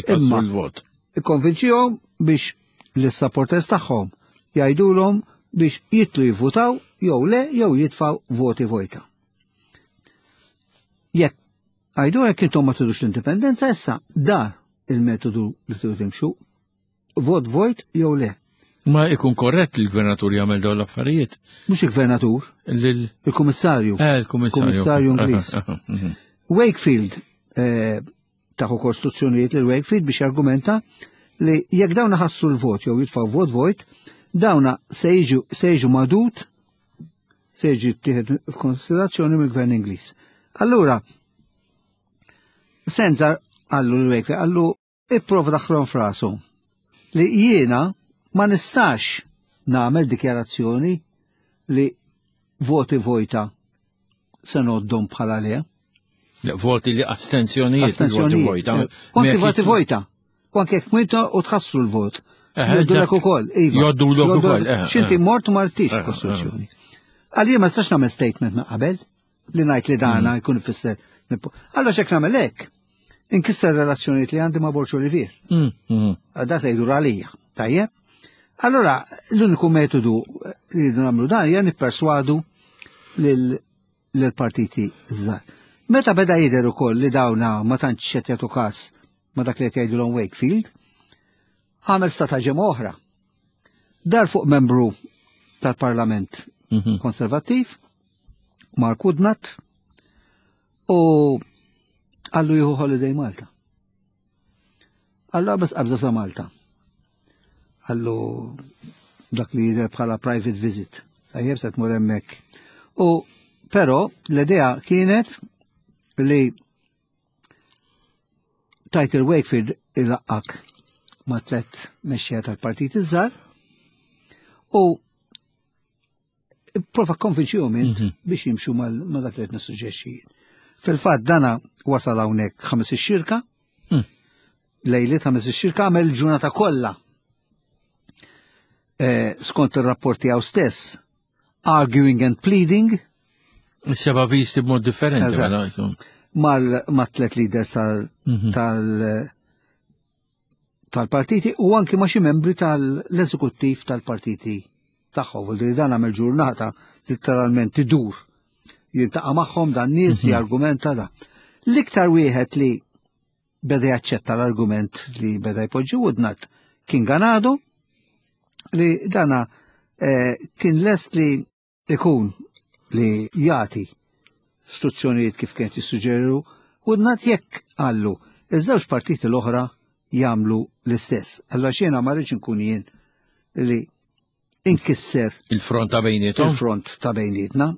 jkassu l-vot. Ikkonvinċihom biex l-supporters tagħhom jgħidulhom biex jitlu jivvutaw jew le jew jitfaw voti vojta. Jekk għajdu jekk intom ma tridux l-indipendenza, issa da il-metodu li tridu timxu, vot vojt jew le. Ma ikun korrett li l-gvernatur jagħmel dawn l-affarijiet? Mhux il-gvernatur, il-kummissarju. Eh, il-kummissarju. Kummissarju Ingliż. Mhm. Wakefield eh, taħu kostruzzjonijiet lil Wakefield biex argumenta li jekk dawna ħassu l-vot jew jitfaw vot vojt, dawna se jiġu se jiġu madut, se jiġi tieħed f'konsiderazzjoni mill-gvern Ingliż. Allura, Senza għallu l-Wakefield, għallu ipprova daħlhom f'rasu li jiena ma nistax nagħmel dikjarazzjoni li voti vojta se noddhom bħala le. Voti li astenzjonijiet. Astenzjonijiet. Vojta. Anki voti vojta. U anke jekk mwinta u tħassru l-vot. Joddulek ukoll. Iva. Joddulek ukoll. X'inti mort martix kostruzzjoni. Għalija ma nistax nagħmel statement ma' qabel li ngħid li dana mm. jkun ifisser. Allora x'hekk nagħmel hekk, inkisser relazzjonijiet li għandi ma' Borg Olivier. Mm, mm. Da se jdur għalija. Tajjeb? Allora, l-uniku metodu li rridu nagħmlu dan hija nipperswadu lill-partiti żgħar. Meta beda jidher ukoll li dawna ma tantx qed jagħtu każ ma dak li qed jgħidulhom Wakefield, għamel strataġema oħra. Dar fuq membru tal-Parlament mhm. Konservattiv, Mark Woodnutt, u għallu jieħu holiday Malta. Għallu bas qabża sa Malta. Għallu dak li jidher bħala private visit. Tajjeb, se tmur hemmhekk. U però l-idea kienet li tajt il-Wakefield ilaqqak ma' tlet mexxejja tal-partit iż-żgħar u prova konvinċihom int Mhm. biex jimxu ma' dak li qed nissuġġerixxi. Fil-fatt dana wasal hawnhekk ħames ix-xirka, Mm. lejliet ħames ix-xirka, għamel ġurnata kollha. Eh, skont ir-rapport tiegħu stess, arguing and pleading Seba visti b'mod differenti. Eżatt. Mela, insomma. mal ma' tlet leaders tal Mhm. tal tal-partiti u anki ma' xi membri tal-eżekuttiv tal-partiti tagħhom. Vuol dire dan għamel ġurnata letteralment idur. Jiltaqa' magħhom dan nies jargumenta da. L-iktar wieħed li beda jaċċetta l-argument li beda jpoġġi Woodnutt kien Ganado, li dana eh, kien lest li ikun li jagħti istruzzjonijiet kif kien jissuġġeru Woodnutt jekk qallu iż-żewġ partiti l-oħra jagħmlu l-istess. Allora jiena ma rridx inkun jien li inkisser Il-front ta' bejnietom. Il-front ta' bejnietna.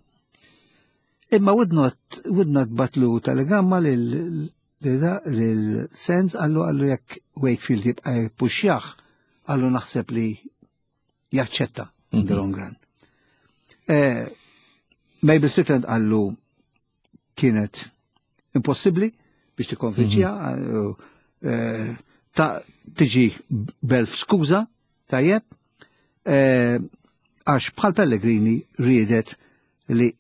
Imma Woodnutt Woodnutt bagħatlu telegramma lil lil Sands, qallu qallu jekk Wakefield jibqa' jippuxjah, qallu naħseb li jaċċetta in the long run. Eh, Mabel Strickland qallu kienet impossibbli biex tikkonvinċiha, eh, ta' tiġi b'elf skuża, tajjeb, eh, għax bħal Pellegrini riedet li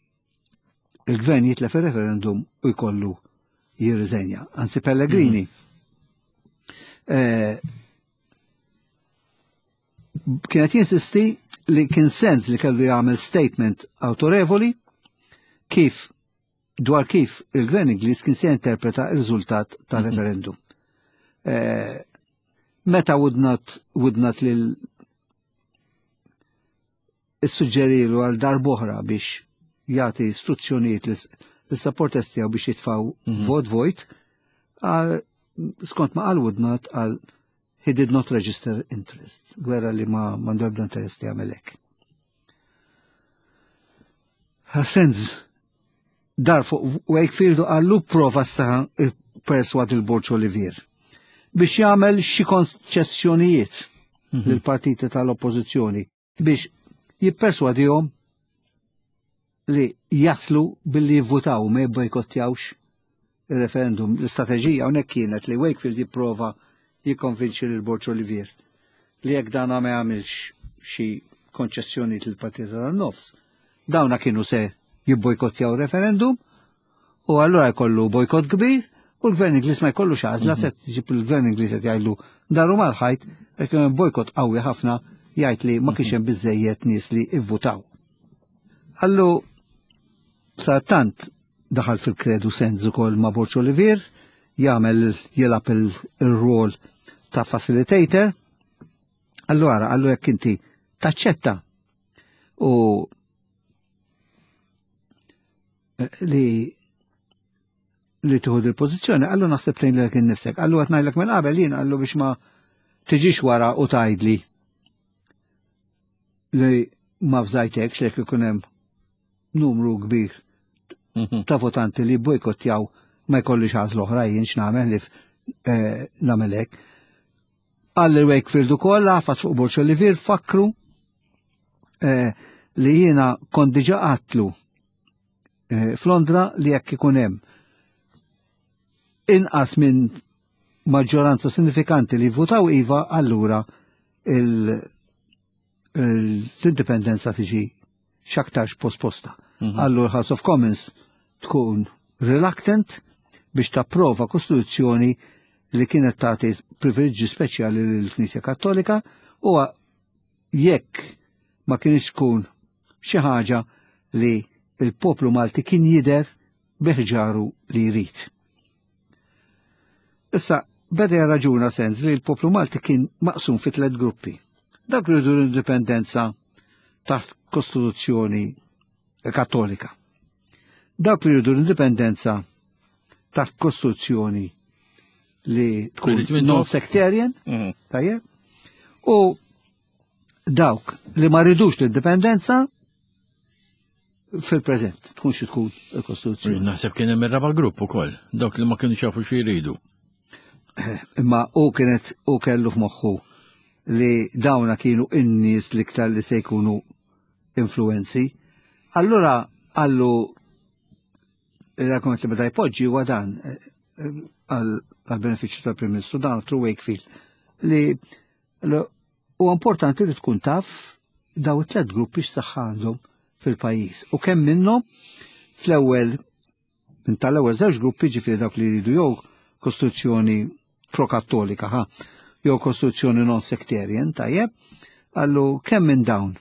il-gvern jitlef il-referendum u jkollu jirriżenja. Anzi Pellegrini eh, kienet jinsisti li kien Sands li kellu jagħmel statement autorevoli kif dwar kif il-gvern Ingliż kien se interpreta il-riżultat tal-referendum. Eh, meta Woodnutt Woodnutt lil issuġġerilu għal darb'oħra biex jagħti istruzzjonijiet lis-supporters tiegħu biex jitfaw vot vojt, għal skont ma qal Woodnutt, għal he did not register interest. Gwerra li ma m'għandu ebda interess li jagħmel hekk. Sands dar fuq Wakefield u qallu prova sa perswad il-Borg Olivier biex jagħmel xi konċessjonijiet lill-partiti tal-oppożizzjoni biex jipperswadihom li jaslu billi jivvutaw, ma jibbojkottjawx il-referendum. L-istrateġija hawnhekk kienet li Wakefield jipprova jikkonvinċi lil Borg Olivier li jekk dana ma jagħmilx xi konċessjoni lill-partiti tan-nofs, dawna kienu se jibbojkottjaw referendum u allura jkollu bojkott kbir u l-gvern Ingliż ma jkollux għażla, se tġib il-gvern Ingliż qed jgħidlu daru mal-ħajt jekk hemm bojkott qawwi ħafna, jgħid li ma kienx hemm biżejjed nies li ivvutaw. Allu sa tant daħal fil-kredu Sands ukoll ma' Borg Olivier, jagħmel jilgħab il-rol ta' facilitator. Allora, qallu jekk inti taċċetta u eh, li li tieħu il-pożizzjoni, qallu naħseb tgħin lilek innifsek. Qallu qed ngħidlek minn qabel jien, qallu biex ma tiġix wara u tgħidli li ma fżajtekx lek ikun hemm numru kbir Mhm. ta' votanti li bojkottjaw, ma jkollix għażla oħra jien x'nagħmel li eh, nagħmel hekk. Qalli Wakefield ukoll għafas fuq Borg Olivier, fakru eh, li jiena kont diġà għedtlu eh, f'Londra li jekk ikun hemm inqas minn maġġoranza sinifikanti li votaw iva, allura il- l-indipendenza tiġi x'aktarx posposta. Allura House of Commons tkun reluctant biex tapprova kostituzzjoni li kienet tagħti privileġġi speċjali lill-Knisja Kattolika u jekk ma kienx tkun xi ħaġa li il-poplu Malti kien jidher biħġaru li jrid. Issa, beda raġuna Sands li l-poplu Malti kien maqsum fi tliet gruppi. Dak li jridu l-indipendenza taħt kostituzzjoni kattolika. Dawk li jridu l-indipendenza taħt kostituzzjoni li tkun Irrid minn non-sectarian, Mhm. tajjeb, u dawk li ma ridux l-indipendenza fil-preżent, tkun xi tkun il-kostituzzjoni. Naħseb kien hemm ir-raba' grupp ukoll, dawk li ma kienu jafu xi jridu. Imma u kienet u kellu f'moħħu li dawna kienu in-nies l-iktar li se jkunu influenzi. Allura għallu l-argument li beda jpoġġi huwa dan eh, għal benefiċċju tal-Prim Ministru dan through Wakefield li huwa importanti li tkun taf daw it-tlet gruppi x'saħħa għandhom fil-pajjiż. U kemm minnhom fl-ewwel minn tal-ewwel żewġ gruppi, ġifieri dawk li jridu jew kostituzzjoni pro-kattolika ha, jew kostituzzjoni non sectarian, tajjeb, għallu kemm minn dawn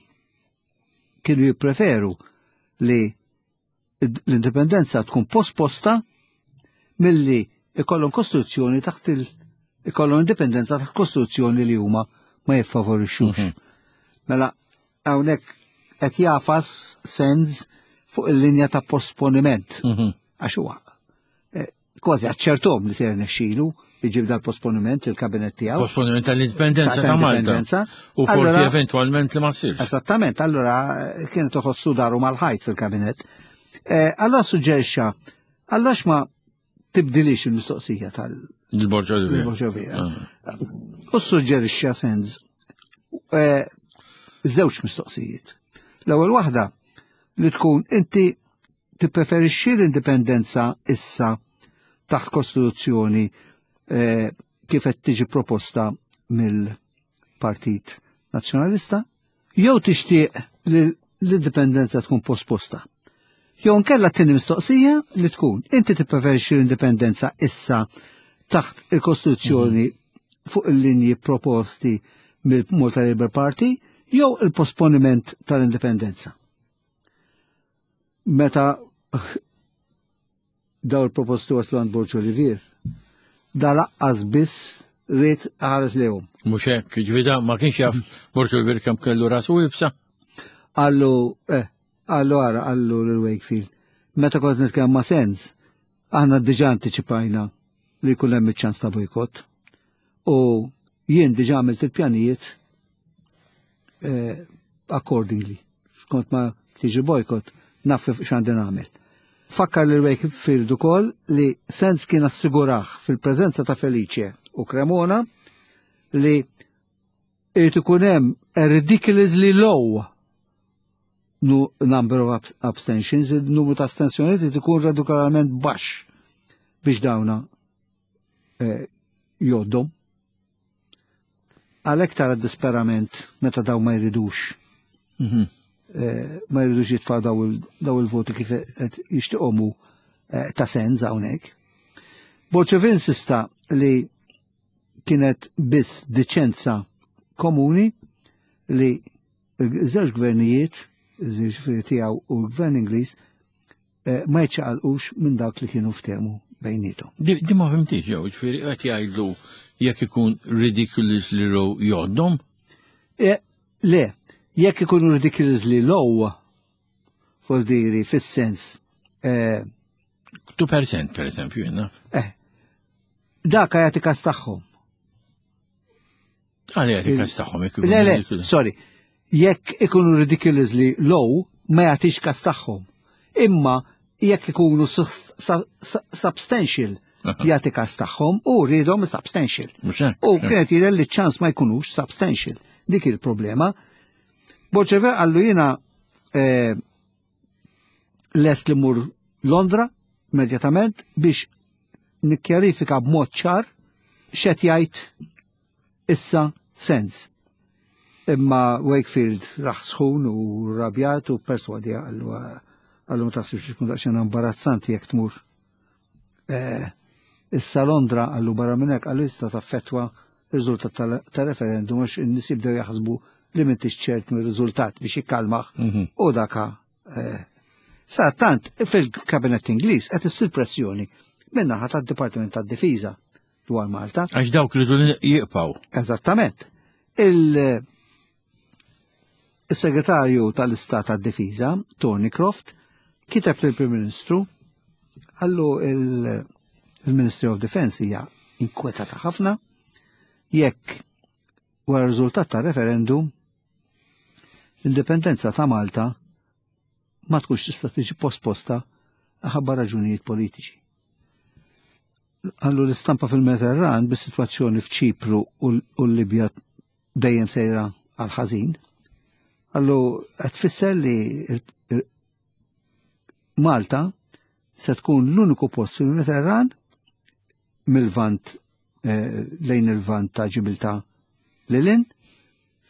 kienu jippreferu li l-indipendenza tkun posposta milli ikollhom kostituzzjoni taħt il ikollhom indipendenza taħt kostituzzjoni li huma ma jiffavorixxux. Mhm. Mela hawnhekk qed jagħfas Sands fuq il-linja ta' posponiment. Mhm. Għax huwa eh, kważi aċċertom li se jirnexxielu jġib dal-posponiment il-kabinet tiegħu. Posponiment tal-indipendenza ta' Malta. U forsi eventualment li ma ssirx. Esattament, allora eh, kienet toħossu daru mal-ħajt fil-kabinet. Eh, allora suġġerixxa, allora x'ma tibdilix il-mistoqsija tal- Il-Borg Olivier. Il-Borg Olivier. Ah. U suġġerixxa Sands eh, żewġ mistoqsijiet. L-ewwel waħda li tkun: inti tippreferixxi l-indipendenza issa taħt kostituzzjoni eh, kif qed tiġi proposta mill-Partit Nazzjonalista, jew tixtieq li l-indipendenza tkun posposta? Jew nkella t-tieni mistoqsija li tkun: inti tippreferixxi l-indipendenza issa taħt il-Kostituzzjoni fuq il-linji proposti mill-Malta Labour Party jew il-posponiment tal-indipendenza? Meta daw il-proposti waslu għand Borg Olivier, da laqqas biss ried ħares lejhom. Mhux hekk, ġifieri ma kienx jaf Borg Olivier kemm kellu rasu iebsa. Għallu, eh, għallu għara, għallu l-Wakefield. Meta kont nitkellem ma' Sands, aħna diġà antiċipajna li jkun hemm iċ-ċans ta' bojkott. U jien diġà għamilt il-pjanijiet eh, accordingly. Skont ma tiġi bojkott, naf x'għandi nagħmel. Fakkar li Wakefield ukoll li Sands kien assigurah fil-preżenza ta' Felice u Cremona li irid ikun hemm a ridiculously low nu number of abs- abstentions, il-numru ta' astensjonijiet irid ikun radikalment baxx biex dawna eh, joddom. Għalhekk tara disperament meta daw ma jridux Mhm. eh, ma jridux jitfaw daw il- daw il-voti kif qed jixtieqhom eh, ta' Sands hawnhekk. Borg insista li kienet biss diċenza komuni li żewġ gvernijiet, ġifieri tiegħu u l-gvern Ingliż, eh, ma jċaqalqux minn dak li kienu ftehmu bejnietom. Di di ma fhimtix ġew, ġifieri qed jgħidlu jekk ikun ridiculously low joddom. E, le, jekk ikunu ridiculously low, vuol fis-sens, eh, two percent per eżempju, jenna. eh, dak jagħti kas tagħhom. Għalli jagħti kas tagħhom jekk ikun Le, le, ridiculous. Sorry. Jekk ikunu ridiculously low, ma jagħtix kas tagħhom. Imma jekk ikunu sus- su- su- substantial, Aha. jagħti kas tagħhom u rridhom substantial. Mhux hekk. U kienet jidher li ċans ma jkunux substantial. Dik il-problema. Borg għallu jiena eh, lest li mur Londra immedjatament biex nikkjarifika b'mod ċar x'qed jgħid issa Sands. Imma Wakefield raħ sħun u rabjat u perswadi, għallu għallu ma taħsibx tkun daqsxejn imbarazzanti jekk tmur eh, issa Londra? Għallu barra minn hekk, għallu jista' taffettwa r-riżultat tal- tal-referendum għax in-nies jibdew jaħsbu li m'intix ċert mir-riżultat, biex jikkalmaħ Mhm. u daka. eh, Sa tant fil-kabinet Ingliż qed issir pressjoni min-naħa tad-Dipartiment tad-Difiża dwar Malta. Għax dawk li dun jiqpaw. Eżattament. Il- Il-segretarju tal-Istat tad-Difiża, Thorneycroft, kiteb lill-Prim Ministru, għallu il- il-Ministry of Defense hija inkwetata ħafna jekk wara riżultat ta' referendum l-indipendenza ta' Malta ma tkunx tista' tiġi posposta ħabba raġunijiet politiċi. Qallu l-istampa fil-Mediterran bis-sitwazzjoni f'Ċipru u l-Libja dejjem sejra għal ħażin. Qallu qed tfisser li Malta se tkun l-uniku post fil-Mediterran mill-Lvant lejn il-Lvant ta' Ġibiltà lil hinn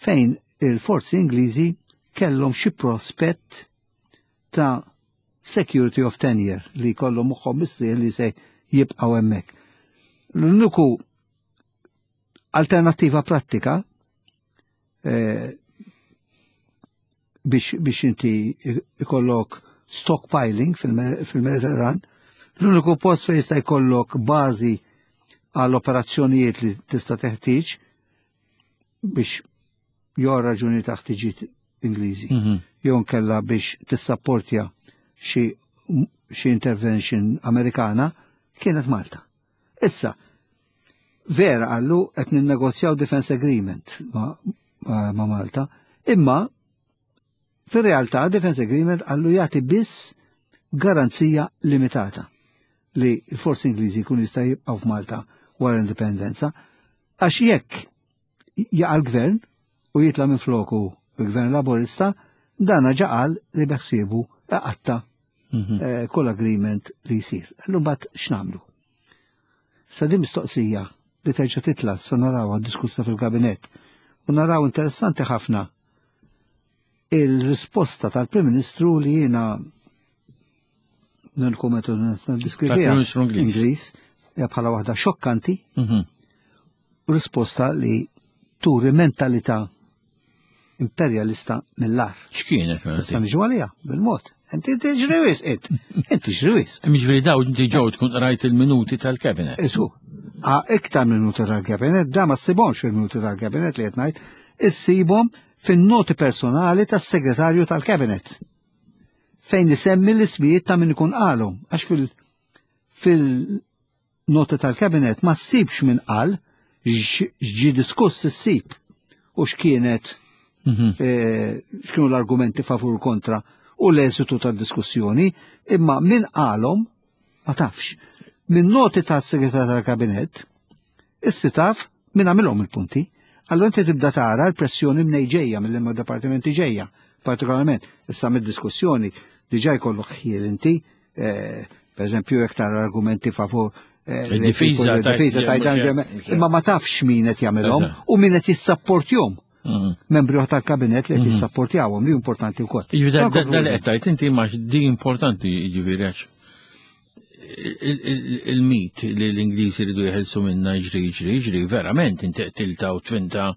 fejn il-forzi Ingliżi kellhom xi prospett ta' security of tenure li kollhom moħħhom mistrieħ li se jibqgħu hemmhekk. L-uniku alternattiva prattika eh, biex, biex inti ikollok stockpiling fil-Mediterran, l-uniku post fejn jista' jkollok bażi għall operazzjonijiet li tista' teħtieġ biex jew raġuni ta' ħtiġijiet Ingliżi, mm -hmm. jew nkella biex tissapportja xi xi intervention Amerikana kienet Malta. Issa, vera qallu qed ninnegozjaw defense agreement ma, ma, ma Malta, imma fir-realtà defense agreement qallu jagħti biss garanzija limitata li l-forzi Ingliżi jkun jista' jibqgħu f'Malta wara l-indipendenza, għax jekk jaqa' l-gvern u jitla' minn floku il-gvern Laburista, dana ġa qal li beħsiebu iqatta' mhm. kull agreement li jsir. Allum bat x'nagħmlu? Sa din mistoqsija li terġa' titla' sa narawha diskussa fil-kabinett u naraw interessanti ħafna il-risposta tal-Prim Ministru li jiena nil-kommentu niddeskriviha Ingliż hija bħala waħda xokkanti mhm. risposta li turi mentalità imperjalista mill-agħar. X'kienet? Mela Issa niġu għalija, bil-mod. Inti tiġri wisq, int. Inti tiġri wisq. Jiġifieri daw inti ġew tkun qrajt il-minuti tal-cabinet. Isu, iktar minuti tal-cabinet, da ma ssibhomx fil-minuti tal-cabinet li qed ngħid, issibhom fin-noti personali tas-segretarju tal-cabinet. Fejn isemmi l-ismijiet ta' min ikun qalhom, għax fil- fil-noti tal-cabinet ma ssibx min qal x'ġie diskuss issib u x'kienet mhm. eh, x'kienu l-argumenti favur kontra u l-eżitu tad-diskussjoni, imma min qalhom ma tafx. Min noti tas-segretarju tal-kabinet, issi taf min għamilhom il-punti. Allora inti tibda tara l-pressjoni mnej ġejja mill dipartimenti ġejja, partikolarment issa mid-diskussjoni diġà jkollok ħjiel inti, eh, per eżempju jekk tara argumenti favur eh, il-difiża tajt imma ma tafx min qed jagħmilhom u min qed jissapportjhom. Mhm. Membri oħra tal-kabinet li qed mhm. jissapportjawhom li importanti wkoll. Jiġifieri dan li qed tgħid inti ma di importanti jiġifieri għax il-mit li l-Ingliżi ridu jeħilsu minna ġri ġri ġri verament inti qtilta u tfinta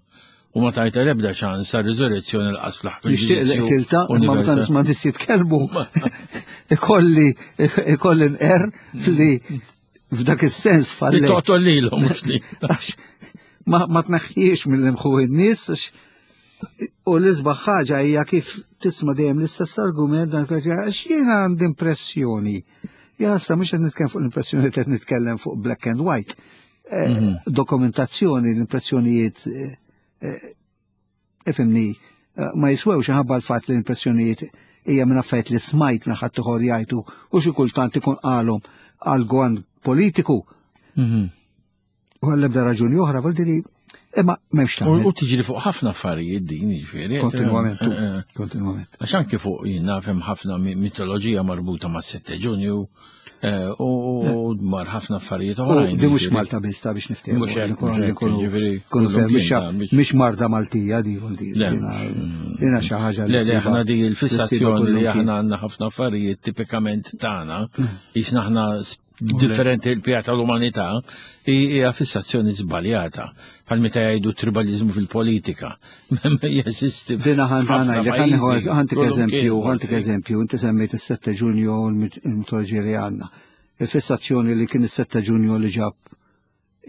u ma tajta l-ebda ċans għal riżurrezzjoni l-qas fl-aħħar. Nixtieq li qtilta imma meta nisma' nies jitkellmu ikolli ikolli nqer li f'dak is-sens falli. Toqtol lilhom mhux li. Ma, ma tneħħiex mill-imħu in-nies u l-isbaħ ħaġa hija kif tisma' dejjem l-istess argument dan għax jiena għandi impressjoni. Ja, sa mhux qed nitkellem fuq l-impressjoni qed nitkellem fuq black and white. Eh, mhm. Dokumentazzjoni, l-impressjonijiet eh, eh, ifhimni ma jiswewx ħabba l-fatt li l-impressjonijiet hija minn affarijiet li smajt minn ħadd ieħor jgħidu u xi kultant ikun qalhom għal gwan politiku. Mhm. U għall-ebda raġuni oħra, vuol dire, imma m'hemmx tagħmel. U tiġri fuq ħafna affarijiet din, jiġifieri. Kontinwament, eh, eh. kontinwament. Għax anke fuq jien naf hemm ħafna mitoloġija marbuta ma' sette Ġunju eh, u mar ħafna affarijiet oħrajn. Di mhux Malta biss ta' biex niftehmu. Mhux marda Maltija di vuol dire. Dina xi ħaġa li. Le, aħna di l-fissazzjoni li aħna għandna ħafna affarijiet tipikament tagħna, jisna aħna differenti l-pija tal-umanità hija fissazzjoni żbaljata. Bħal meta jgħidu tribalizmu fil-politika. Jeżisti. Dina ħantik ħantik eżempju, ħantik eżempju, inti semmejt is-sette Ġunju l-mitoloġija li għandna. Il-fissazzjoni li kien is-sette Ġunju li ġab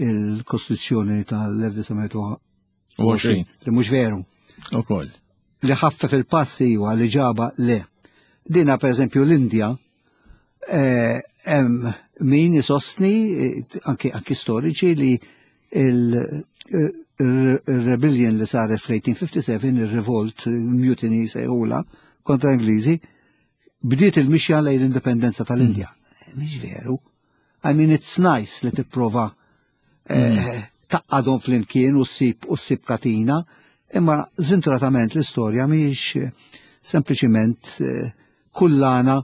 il-Kostituzzjoni tal-elf disa' mija u għoxrin li mhux veru. Ukoll. Li ħaffef il-passi huwa li ġaba le. Dina per eżempju l-Indja hemm eh, min jisostni eh, anki anki storiċi li il-rebellion li saret fl-eighteen fifty-seven, il-revolt, il-mutiny sejħula kontra Ingliżi, bdiet il-mixja lejn l-indipendenza tal-Indja. Mm. Mhix veru. I mean, it's nice li tipprova eh, tgħaqqadhom flimkien u ssib u ssib katina, imma żventuratament l-istorja mhijiex eh, sempliċiment eh, kullana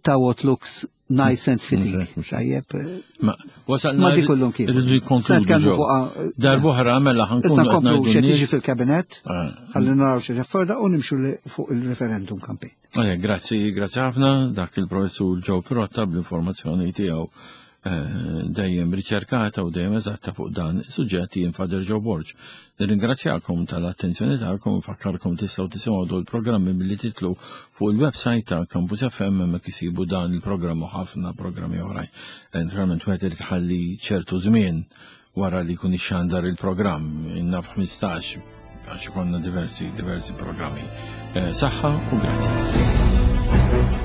ta' what looks nice and fitting. Mhux hekk. Tajjeb, eh, Ma wasalna ma di kullum kien. Irridu Se jkonkludu nitkellmu ġew. fuq Darb'oħra mela Issa ħa nkunu qed nkomplu ngħidu x'qed jiġi n-nies. fil-kabinet, Ah. ħalli naraw xi jafforda u nimxu li- fuq il-referendum campaign. Eh, Grazzi, grazzi ħafna dak il-professur Joe Pirotta bl-informazzjoni tiegħu eh, dejjem riċerkata u dejjem eżatta fuq dan is-suġġett. Jien Father Joe Borg. Nirringrazzjakom tal-attenzjoni tagħkom, nfakkarkom tistgħu tisimgħu dawn il-programmi billi titilgħu fuq il-website ta' Campus F M, hemmhekk isibu dan il-programm u ħafna programmi oħrajn. Eh, Naturalment wieħed irid ħalli ċertu żmien wara li jkun ixxandar il-programm, innaf ħmistax, għax ikollna diversi diversi programmi. Eh, Saħħa u grazzi.